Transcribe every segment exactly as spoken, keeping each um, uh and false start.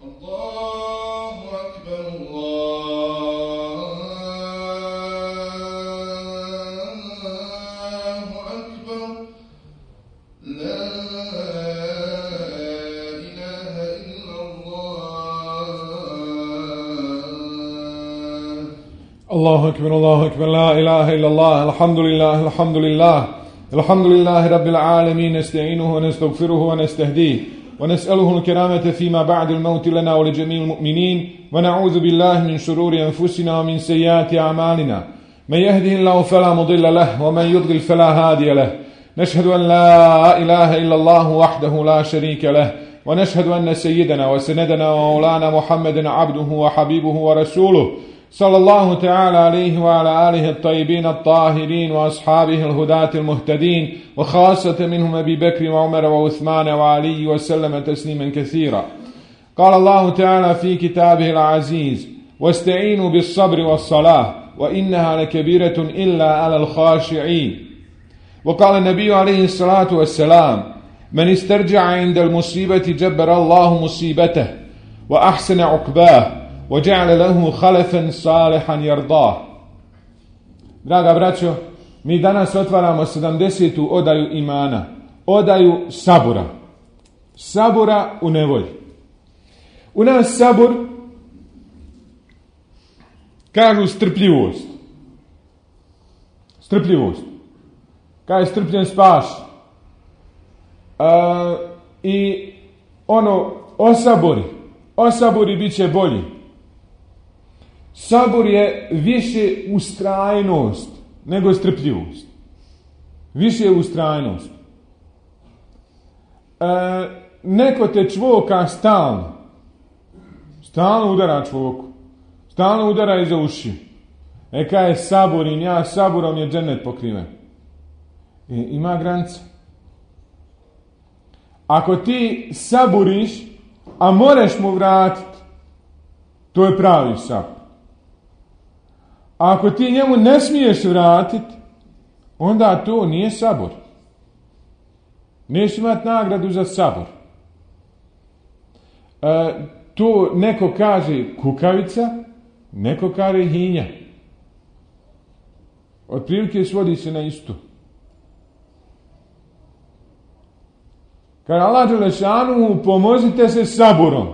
الله أكبر الله أكبر لا إله إلا الله الحمد لله الحمد لله الحمد لله رب العالمين نستعينه ونستغفره ونستهديه ونسأله الكرامة فيما بعد الموت لنا ولجميع المؤمنين ونعوذ بالله من شرور أنفسنا ومن سيئات أعمالنا من يهده الله فلا مضل له ومن يضلل فلا هادي له نشهد أن لا إله إلا الله وحده لا شريك له ونشهد أن سيدنا وسندنا ومولانا محمد عبده وحبيبه ورسوله صلى الله تعالى عليه وعلى آله الطيبين الطاهرين وأصحابه الهداة المهتدين وخاصة منهم أبي بكر وعمر وعثمان وعلي وسلم تسليما كثيرا. قال الله تعالى في كتابه العزيز واستعينوا بالصبر والصلاة وإنها لكبيرة إلا على الخاشعين. وقال النبي عليه الصلاة والسلام من استرجع عند المصيبة جبر الله مصيبته وأحسن عقباه وجعل له خلفا صالحا يرضاه. Draga braćo, mi danas otvaramo sedamdesetu odaju imana, odaju sabura. Sabura u nevolji. U nas sabur kažu strpljivost. Strpljivost. Kaj je strpljen spaš. Uh, I ono, osabori. Osabori bit će bolji. Sabor je više ustrajnost nego strpljivost. Više je ustrajnost. E, neko te čvoka stalno. Stalno udara čvoku. Stalno udara iza uši. E kaj je saborim, ja saborom je džennet pokriven. E, ima granica. Ako ti saboriš, a moreš mu vratiti, to je pravi sabor. A ako ti njemu ne smiješ vratiti, onda to nije sabor. Neš imati nagradu za sabor. E, to neko kaže kukavica, neko kaže hinja. Otprilike svodi se na isto. Kaže Allah dželešanu, pomozite se saborom,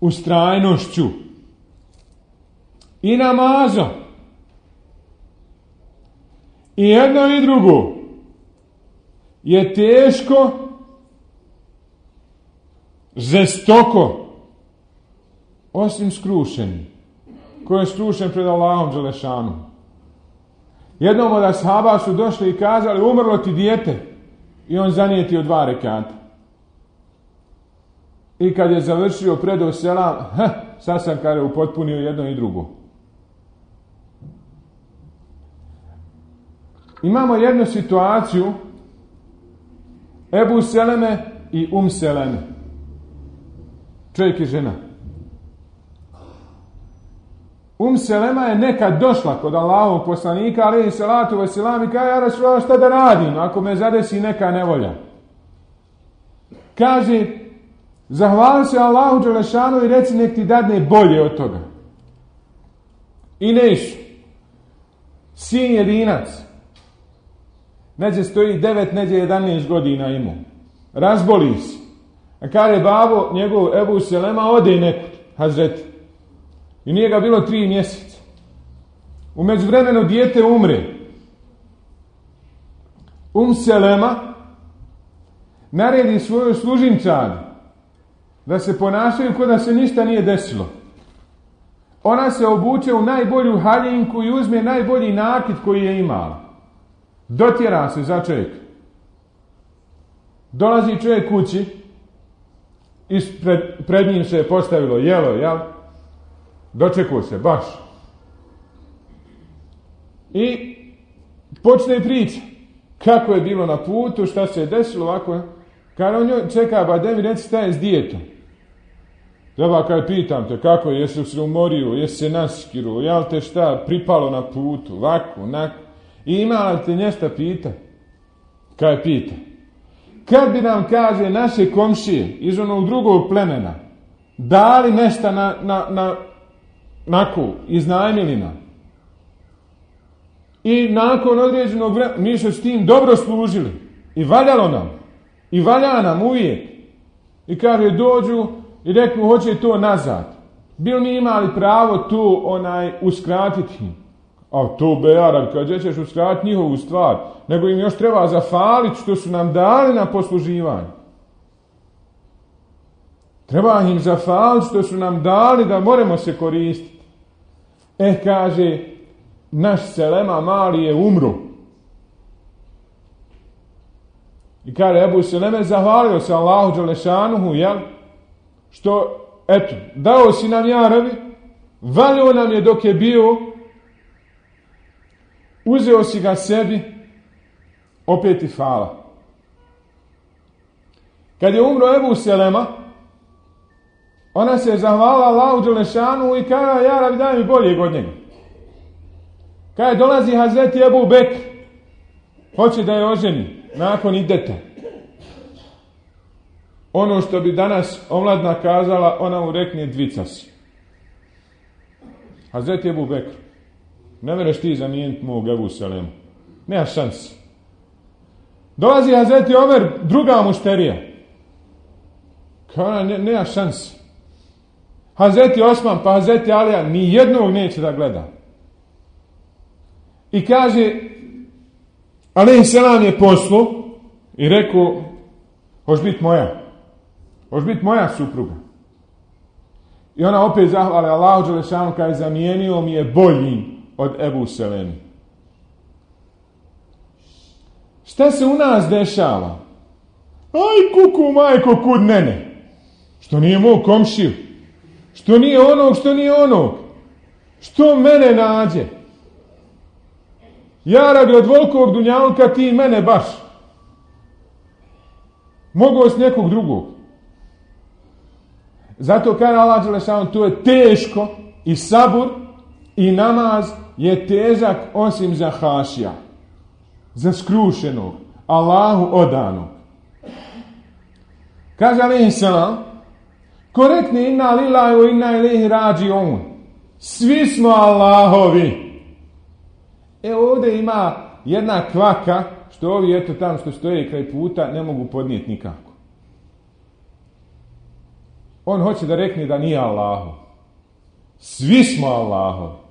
ustrajnošću i namazom. I jedno i drugo je teško, žestoko, osim skrušeni. Ko je skrušen pred Allahom dželešanom. Jednom od ashaba su došli i kazali, umrlo ti dijete, i on zanijetio dva rekata. I kad je završio predao selam, ha, sad sam kada je upotpunio jedno i drugo. Imamo jednu situaciju Ebu Seleme i Um Seleme. Čovjek i žena. Um Selema je nekad došla kod Allahovog poslanika, alejhi salatu vesselam, i kaže, ja Rasulullah, šta da radim ako me zadesi neka nevolja? Kaže, zahvali se Allahu dželešanu i reci nek ti dadne bolje od toga. I nešu. Sin jedinac. Neđe stoji devet, neđe jedanaest godina imao. Razboli se. A kaže babo, njegov Ebu Selema, ode nekud, Hazreti. I nije ga bilo tri mjeseca. U međuvremenu dijete umre. Um Selema naredi svoju služinčanu da se ponašaju kao da se ništa nije desilo. Ona se obuče u najbolju haljinku i uzme najbolji nakit koji je imala. Dotjera se za čovjek. Dolazi čovjek kući, ispred, pred njim se je postavilo jelo, jel? Dočekao se, baš. I počne priča. Kako je bilo na putu, šta se je desilo, ovako. Kada on njoj čeka, ba da mi reci šta je s dijetom. Treba kaj pitam te, kako je, jesi se umorio, jesi se naskiruo, jel te šta pripalo na putu, ovako, onako. I ima li te nješta pita? Kaj pita? Kad bi nam, kaže, naše komšije iz onog drugog plemena dali nešto na, na, na nako, iznajmili nam. I nakon određenog vremena, mi smo s tim dobro služili. I valjalo nam. I valja nam uvijek. I kaže, dođu i reknu, hoće to nazad. Bil mi imali pravo to onaj uskratiti? A to bejaran, kad ćeš uskratiti njihovu stvar, nego im još treba zafaliti što su nam dali na posluživanje. Treba im zafaliti što su nam dali da moramo se koristiti. E, kaže, naš Selema mali je umro. I kaže, Ebu Seleme zahvalio se Allahu Đelešanuhu, jel? Što, eto, dao si nam jaravi, valio nam je dok je bio, uzeo si ga sebi, opet i hvala. Kad je umro Ebu Selema, ona se je zahvalila Allahu Đelešanuhu i kaže, jaravi, daj mi boljeg od njega. Kaže, dolazi Hazreti Ebu Bekr, hoće da je oženi, nakon ideta. Ono što bi danas omladna kazala, ona mu rekne dvica si. Hazreti Ebu Bekr, ne mereš ti zamijeniti mog Ebu Selemu. Nema šansi. Dolazi Hazreti Omer, druga mušterija. Kao ne, nema šansi. Hazreti Osman pa Hazreti Alija ni jednog neće da gleda. I kaže, alejhi selam je poslu i rekao, hoš biti moja. Hoš biti moja supruga. I ona opet zahvala Allahu Đelešanu kada je zamijenio mi je bolji od Ebu Selemi. Šta se u nas dešava? Aj kuku majko kud mene. Što nije mog komšiju. Što nije onog, što nije onog. Što mene nađe. Ja radi od volkovog dunjalka ti mene baš. Mogu s nekog drugog. Zato kaže Allah Đelešanu, to je teško i sabur i namaz je težak osim za hašija. Za skrušenog. Allahu odanog. Kaže alejhi selam, korektni inna lillahi wa inna ilejhi rađiun. Svi smo Allahovi. E ovdje ima jedna kvaka, što ovi eto tamo što stoje kraj puta ne mogu podnijeti nikako. On hoće da rekne da nije Allahu. Svi smo Allahovi.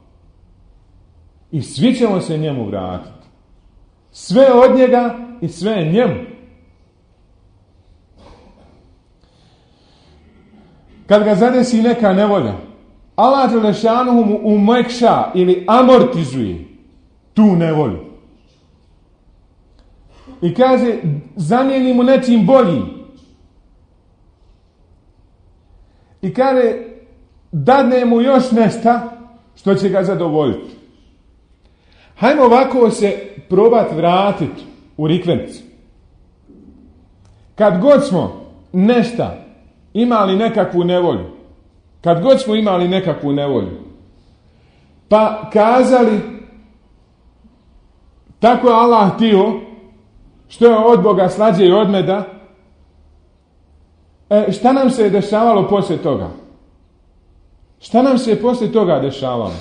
I svi ćemo se njemu vratiti. Sve od njega i sve njemu. Kad ga zadesi neka nevolja, Allah Đelešanuhu mu umekša ili amortizuje tu nevolju. I kaže, zamijeni mu nečim boljim. I kaže, dadne mu još nešto što će ga zadovoljiti. Hajmo ovako se probati vratiti u rikverc. Kad god smo nešto imali nekakvu nevolju, kad god smo imali nekakvu nevolju, pa kazali, tako je Allah htio, što je od Boga slađe i od meda, e, šta nam se je dešavalo poslije toga? Šta nam se je poslije toga dešavalo?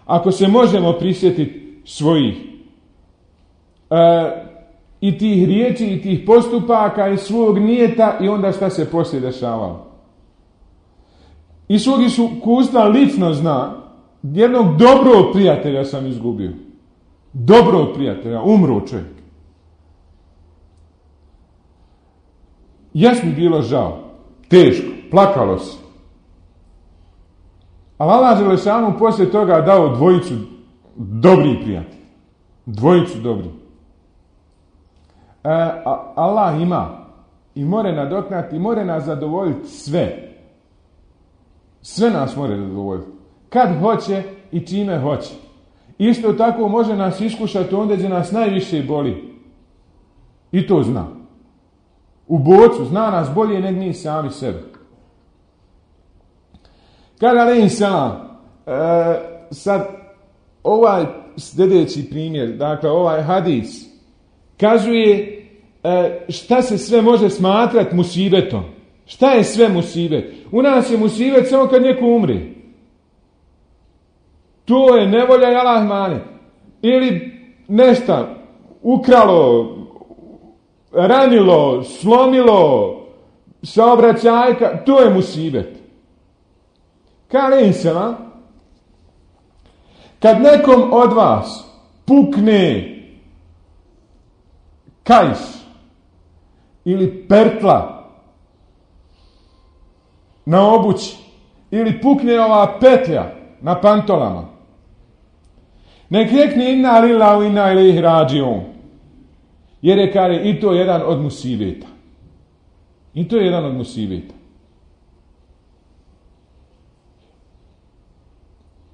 Ako se možemo prisjetiti svojih e, i tih riječi i tih postupaka i svog nijeta i onda šta se poslije dešavalo. I svog iskustva lično zna, jednog dobrog prijatelja sam izgubio. Dobrog prijatelja, umro čovjek. Jes mi bilo žao, teško, plakalo se. Ali Allah Đelešanu poslije toga dao dvojicu dobrih prijatelja. Dvojicu dobrih. E, a, Allah ima i more nadoknati i more nas zadovoljiti sve. Sve nas more zadovoljiti. Kad hoće i čime hoće. Isto tako može nas iskušati onda gdje nas najviše boli. I to zna. U bocu zna nas bolje nego mi sami sebe. Kaže alejhi selam, e, sad ovaj sljedeći primjer, dakle ovaj hadis, kazuje e, šta se sve može smatrati musibetom. Šta je sve musibet? U nas je musibet samo kad neko umri. To je nevolja i Allah mane. Ili nešto ukralo, ranilo, slomilo, saobraćajka, to je musibet. Kaže se vam, kad nekom od vas pukne kajš ili pertla na obući ili pukne ova petlja na pantolama, nek rekne inna lillahi wa inna ilaihi rađiun, jer je kare i to jedan od musibeta. I to je jedan od musibeta.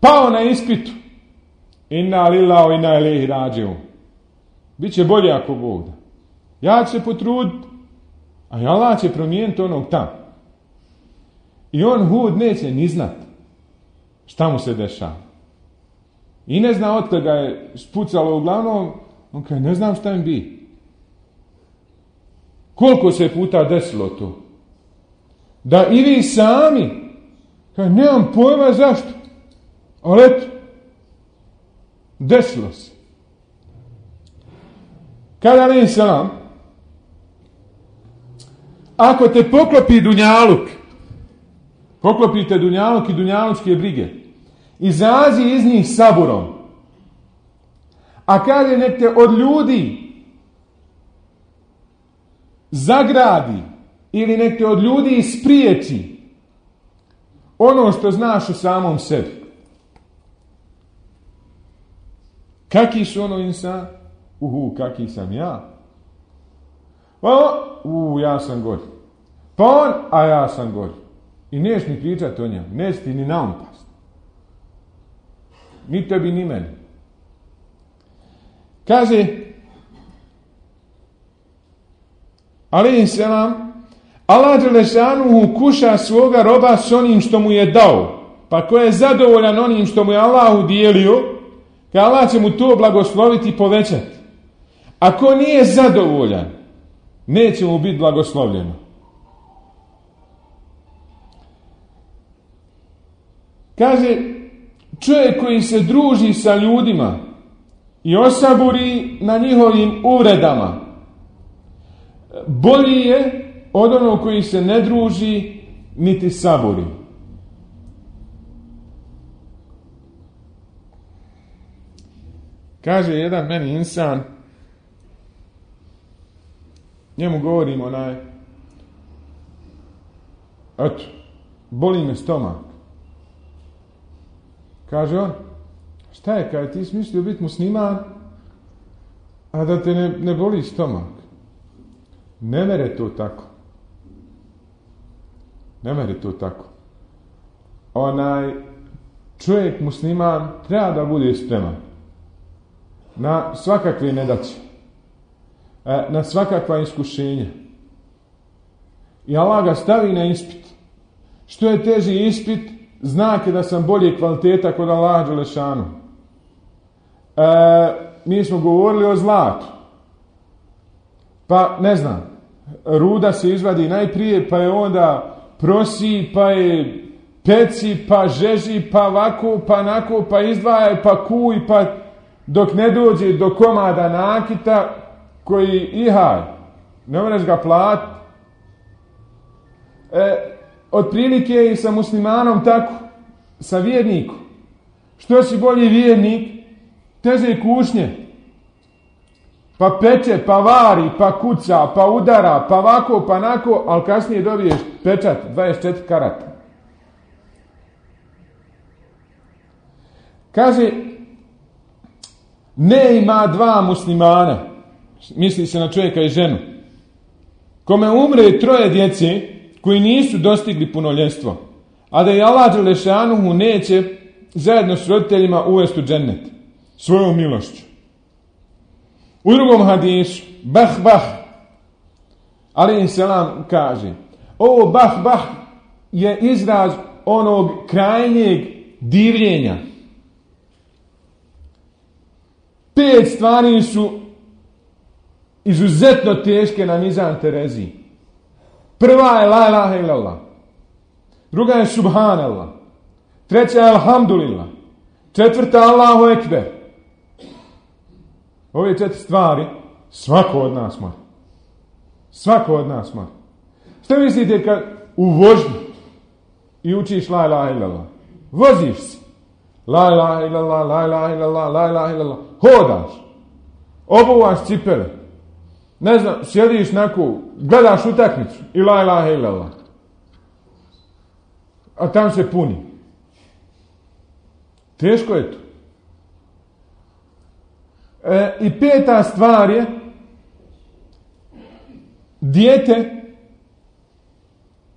Pao na ispitu, inna lillahi wa inna ilaihi rađiun. Biće bolje ako Bog da. Ja ću se potruditi, a Allah će promijeniti onog tam. I on Hud neće ni znat šta mu se dešava. I ne zna od ga je spucalo uglavnom, on kaže, ne znam šta im bi. Koliko se puta desilo to? Da i vi sami, kaže, nemam pojma zašto, ali eto, desilo se. Kada alejhi selam, ako te poklopi dunjaluk, poklopite dunjaluk i dunjalučke brige, izazi iz njih saburom, a kaže nek te od ljudi zagradi ili nek te od ljudi ispriječi ono što znaš u samom sebi. Kaki su ono insan? Uhu, kaki sam ja? Pa, u, ja sam gori. Pa on, a ja sam gori. I neš ni pričati o njemu, neš ti ni naumpast. Ni tebi, ni meni. Kaže, alejhi selam, Allah dželešanuhu kuša svoga roba s onim što mu je dao. Pa ko je zadovoljan onim što mu je Allah udijelio, ka Allah će mu to blagosloviti i povećati. Ako nije zadovoljan, neće mu biti blagoslovljeno. Kaže, čovjek koji se druži sa ljudima i osaburi na njihovim uvredama, bolji je od onog koji se ne druži niti saburi. Kaže jedan meni insan, njemu govorim onaj, eto, boli me stomak. Kaže on, šta je, kaj ti si mislio biti musliman, a da te ne, ne boli stomak? Ne mere to tako. Ne mere to tako. Onaj čovjek musliman treba da bude spreman na svakakve nedaće, na svakakva iskušenja. I Allah ga stavi na ispit. Što je teži ispit, znak je da sam bolje kvaliteta kod Allaha dželešanu. E, mi smo govorili o zlatu. Pa, ne znam, ruda se izvadi najprije, pa je onda prosi, pa je peci, pa žeži, pa ovako, pa onako, pa izdvaja, pa kuj, pa dok ne dođe do komada nakita koji ihaj, ne možeš ga platiti. E, otprilike je i sa muslimanom tako, sa vjernikom. Što si bolji vjernik, teže kušnje. Pa peče, pa vari, pa kuca, pa udara, pa ovako, pa nako, ali kasnije dobiješ pečat, dvadeset četiri karata. Kaže, ne ima dva muslimana, misli se na čovjeka i ženu, kome umre troje djece koji nisu dostigli punoljetstvo, a da je Allah dželešanuhu neće zajedno s roditeljima uvesti u džennet svojom milošću. U drugom hadisu, bah bah, alejhi selam kaže, ovo bah bah je izraz onog krajnjeg divljenja. Pet stvari su izuzetno teške na mizan Tereziji. Prva je la ilaha illallah. Druga je subhanallah. Treća je alhamdulillah. Četvrta Allahu ekber. Ove četiri stvari svako od nas mora. Svako od nas mora. Što mislite kad u vožnju i učiš la ilaha illallah? Voziš se. La ilaha illallah, la ilaha illallah, la ilaha illallah. Hodaš. Obuvaš cipele. Ne znam, sjediš naku, gledaš utakmicu i la ilaha illallah. A tam se puni. Teško je to. E, I peta stvar je dijete,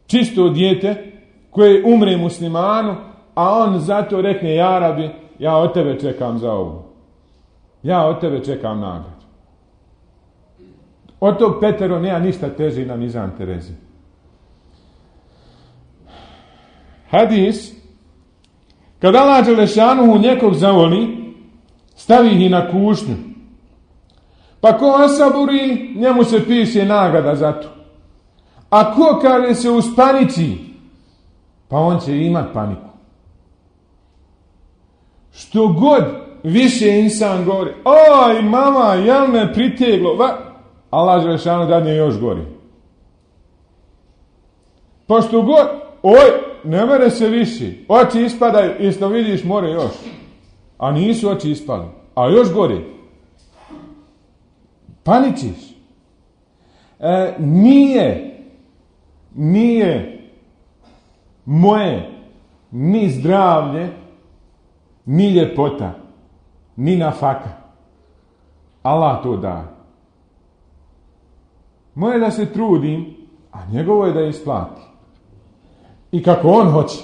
čisto dijete koje umre muslimanu, a on zato rekne: ja Rabi, ja od tebe čekam za ovo. Ja od tebe čekam nagradu. Od tog petero nema ništa teže na mizan Terezi. Hadis: kad Allah dželešanuhu nekog zavoli, stavi ih na kušnju. Pa ko osaburi, njemu se piše nagrada za to. A ko kaže se uspaniči, pa on će imat paniku. Što god više insan govori: oj mama, jel me priteglo, va? Allah dželešanuhu dadne još gori. Pa što god, oj, ne mere se više, oči ispadaju, isto vidiš, more još. A nisu oči ispali, a još gore. Paničiš. E, nije, nije moje ni zdravlje, ni ljepota, ni nafaka. Allah to daje. Moje da se trudim, a njegovo je da isplati. I kako on hoće.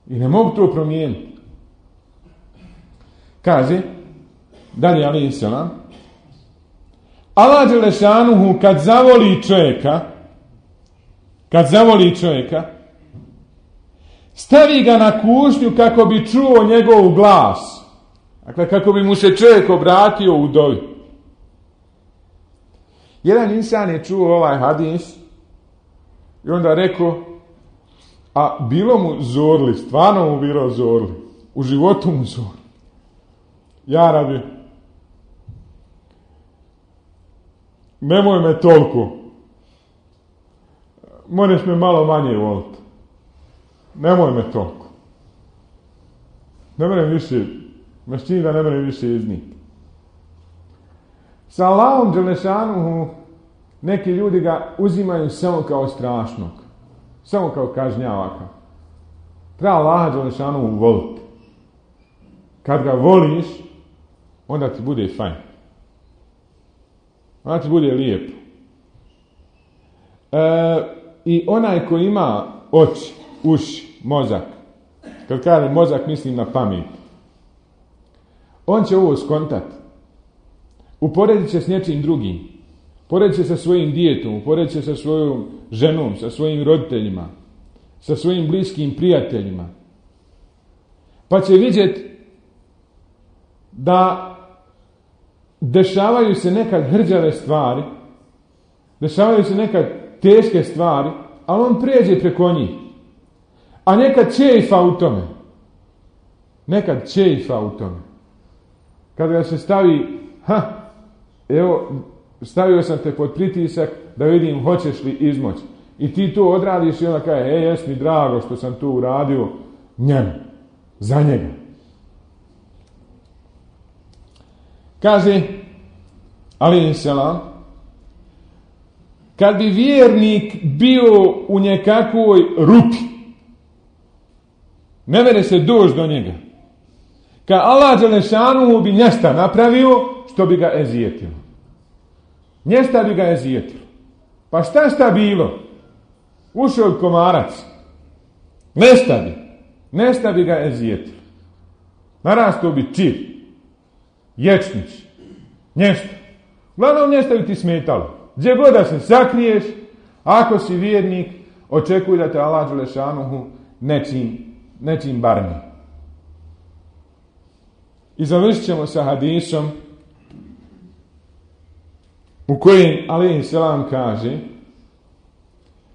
I ne mogu to promijeniti. Kaže, dalje alejhi selam, Allah dželešanuhu kad zavoli čovjeka, kad zavoli čovjeka, stavi ga na kušnju kako bi čuo njegov glas. Dakle, kako bi mu se čovjek obratio u dovi. Jedan insan je čuo ovaj hadis i onda rekao: a bilo mu zorli, stvarno mu bilo zorli, u životu mu zorli. Ja Rabi, nemoj me toliko, moraš me malo manje voliti, nemoj me toliko, ne moram više, mašćini da ne moram više izniti. Sa Allahom dželešanuhu neki ljudi ga uzimaju samo kao strašnog, samo kao kažnjavaka. Treba Allaha dželešanuhu voliti. Kad ga voliš, onda ti bude fajn. Onda ti bude lijepo. E, I onaj ko ima oči, uši, mozak, kad kaže mozak mislim na pamet, on će ovo skontati. Uporedit će s nečim drugim. Uporedit će sa svojim djetom, uporedit će sa svojom ženom, sa svojim roditeljima, sa svojim bliskim prijateljima. Pa će vidjeti da dešavaju se nekad hrđave stvari, dešavaju se nekad teške stvari, ali on prijeđe preko njih. A nekad čeifa u tome. Nekad čeifa u tome. Kada ga se stavi, ha, evo, stavio sam te pod pritisak da vidim hoćeš li izmoći. I ti to odradiš i onda kaže: e, jes mi drago što sam to uradio njemu, za njega. Kaže alejhi selam, kad bi vjernik bio u nekakvoj rupi, ne mere se doći do njega, kad Allah dželešanuhu bi njesta napravio što bi ga ezijetilo. Njesta bi ga ezijetilo. Pa šta šta bilo? Ušao je komarac. Nesta bi. Nesta bi ga ezijetilo. Narastao bi čir. Ječnić. Njesta. Uglavnom njesta bi ti smetalo. Gdje god da se sakriješ, ako si vjernik, očekuj da te Allah dželešanuhu nečim, nečim barni. I završit ćemo sa hadisom u kojem alejhi selam kaže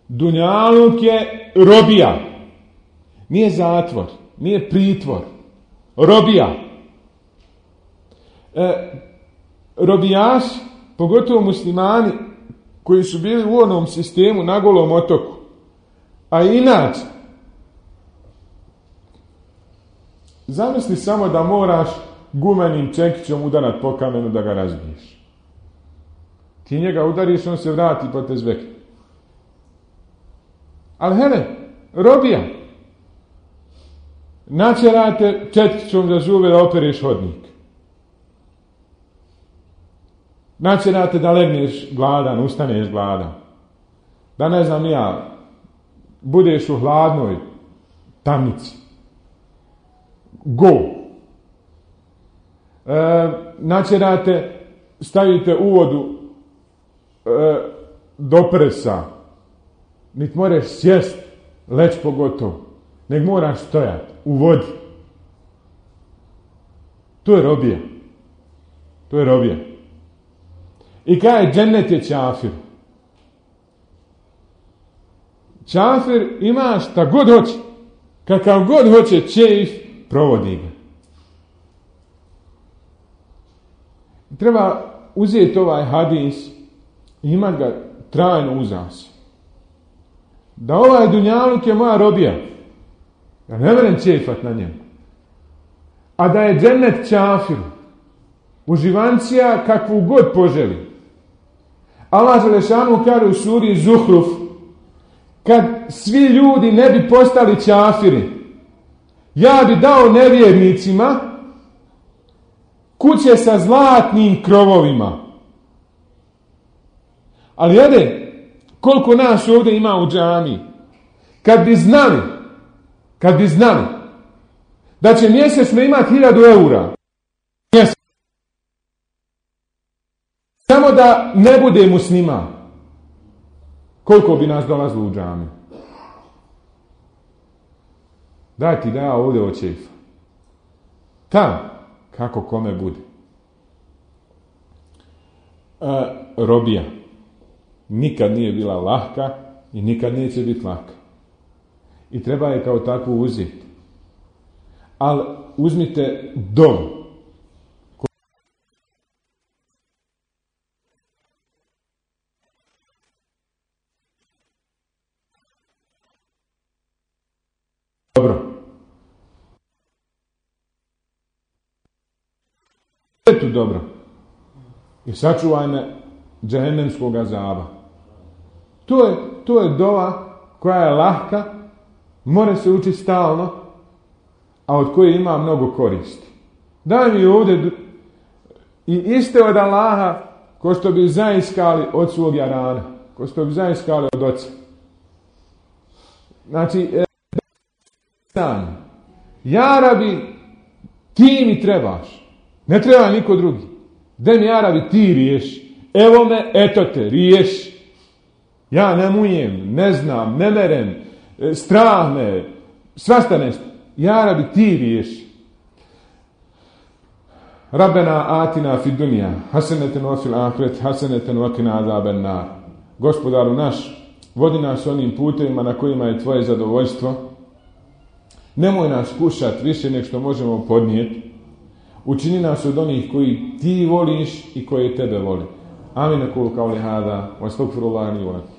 dunjaluk je robija, nije zatvor, nije pritvor, robija. E, robijaš, pogotovo muslimani koji su bili u onom sistemu na Golom otoku, a inače zamisli samo da moraš gumenim čekićom udarat po kamenu da ga razbiješ. Ti njega udariš, on se vrati po tezbeki. Ali hele, robija. Načerate četkićom za zube da opereš hodnik. Načerate da legneš gladan, ustaneš gladan. Da ne znam ja, budeš u hladnoj tamnici. Go. E, načerate, stavite u vodu e, do prsa. Niti moraš sjest, leć pogotovo. Nek moraš stojati u vodi. To je robija. To je robija. I kaj je džennet je čafir. Čafir ima šta god hoće. Kakav god hoće čeif, provodi ga. Treba uzeti ovaj hadis i imati ga trajno uza se. Da ovaj dunjaluk je moja robija. Ja ne vrem čeifat na njemu. A da je džennet čafir. Uživancija kakvu god poželi. Allah Želešanu kaže u suri Zuhruf, kad svi ljudi ne bi postali čafiri, ja bi dao nevjernicima kuće sa zlatnim krovovima. Ali jede, koliko nas ovdje ima u džamiji, kad bi znali, kad bi znali da će mjesečno imati hiljadu eura, mjesečno, samo da ne bude musliman, koliko bi nas dolazilo u džamiju? Daj ti da ja ovdje očefa. Tam, kako kome bude. E, robija. Nikad nije bila lahka i nikad neće biti laka. I treba je kao takvu uzeti. Ali uzmite dovu. Dobro. Je tu dobro. I sačuvaj me džehennemskog azaba. To je, to je dova koja je lahka, mora se učiti stalno, a od koje ima mnogo koristi. Daj mi ovdje i iste od Allaha ko što bi zaiskali od svog jarana, ko što bi zaiskali od oca. Znači, ja Rabi, ti mi trebaš. Ne treba niko drugi. De mi, ja Rabi, ti riješi. Evo me, eto te, riješi. Ja ne mujem, ne znam, ne merem, strah me, svašta nešto. Ja Rabi, ti riješi. Rabbena atina fi dunja, haseneten wa fil ahiret, haseneten wa qina azaben nar. Gospodaru naš, vodi nas onim putevima na kojima je tvoje zadovoljstvo. Nemoj nas kušati više nek što možemo podnijeti. Učini nas od onih koji ti voliš i koji tebe voli. Amin, kul kauli hada, wa astagfirullahi li wa lakum.